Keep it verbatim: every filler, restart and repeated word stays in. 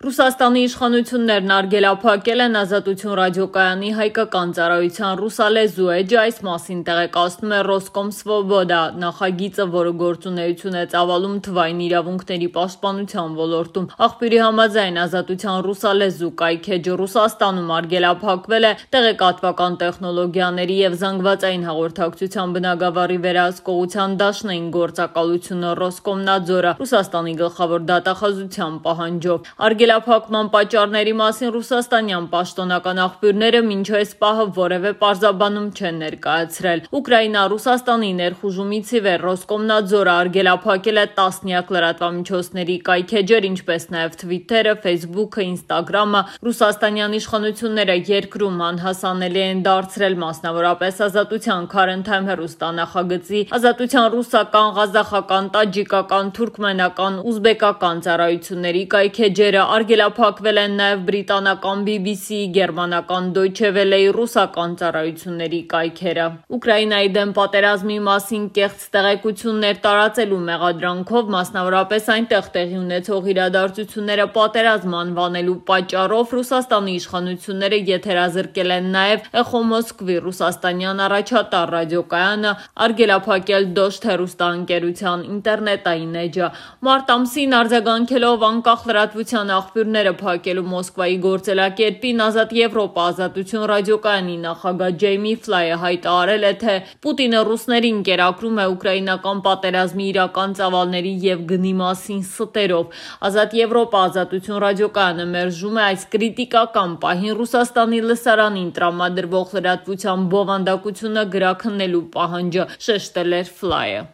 Ռուսաստանի իշխանություններն արգելափակել են Ազատություն ռադիոկայանի հայկական ծառայության ռուսալեզու էջը, այս մասին տեղեկացնում է Ռոսկոմսվոբոդա նախագիծը, որը գործունեություն է ծավալում թվային իրավունքների պաշտպանության ոլորտում։ Աղբյուրի համաձայն Ազատության ռուսալեզու կայքէջը Ռուսաստանում արգելափակվել է տեղեկատվական տեխնոլոգիաների և զանգվածային հաղորդակցության բնագավառի վերահսկողության դաշնային գործակալությունը Ռոսկոմնadzորը Ռուսաստանի գլխավոր դատախազության պահանջով։ Արգելափակման պատճառների մասին ռուսաստանյան պաշտոնական աղբյուրները մինչ այս պահը որևէ պարզաբանում չեն ներկայացրել։ Ուկրաինա-Ռուսաստանի ներխուժումից ի վեր Ռոսկոմնadzորը արգելափակել է տասնյակ լրատվամիջոցների կայքէջեր, ինչպես նաև Թվիթերը, Ֆեյսբուքը, Ինստագրամը։ Ռուսաստանյան իշխանությունները երկրում անհասանելի են դարձրել մասնավորապես Ազատության Քարընթայմ հեռուստանախագծի, Ազատության ռուսական, ղազախական, տաջիկական, թուրքմենական, ուզբեկական ծառայությունների կայքէջերը, արգելափակվել են նաև բրիտանական բի բի սի-ի, գերմանական Դոյչե Վելեի, ռուսական ծառայությունների կայքերը։ Ուկրաինայի դեմ պատերազմի մասին կեղծ տեղեկություններ տարածելու մեղադրանքով, մասնավորապես այնտեղ տեղի ունեցող իրադարձությունները պատերազմ անվանելու պատճառով, Ռուսաստանի իշխանությունները եթերազրկել են նաև Էխո Մոսկվի ռուսաստանյան առաջատար ռադիոկայանը, արգելափակել Դոշտ հեռուստաընկերության ինտերնետային էջը։ Մարտ ամսին արձագանքելով անկախ լրատվության աղբյուրները փակելու Մոսկվայի գործելակերպին, Ազատ Եվրոպա Ազատություն ռադիոկայանի նախագահ Ջեյմի Ֆլայը հայտարարել է, թե Պուտինը ռուսներին կերակրում է ուկրաինական պատերազմի իրական ծավալների և գնի մասին ստերով։ Ազատ Եվրոպա Ազատություն ռադիոկայանը մերժում է այս կրիտիկական պահին Ռուսաստանի լսարանին տրամադրվող լրատվության բովանդակությունը գրաքննելու պահանջը, շեշտել էր Ֆլայը։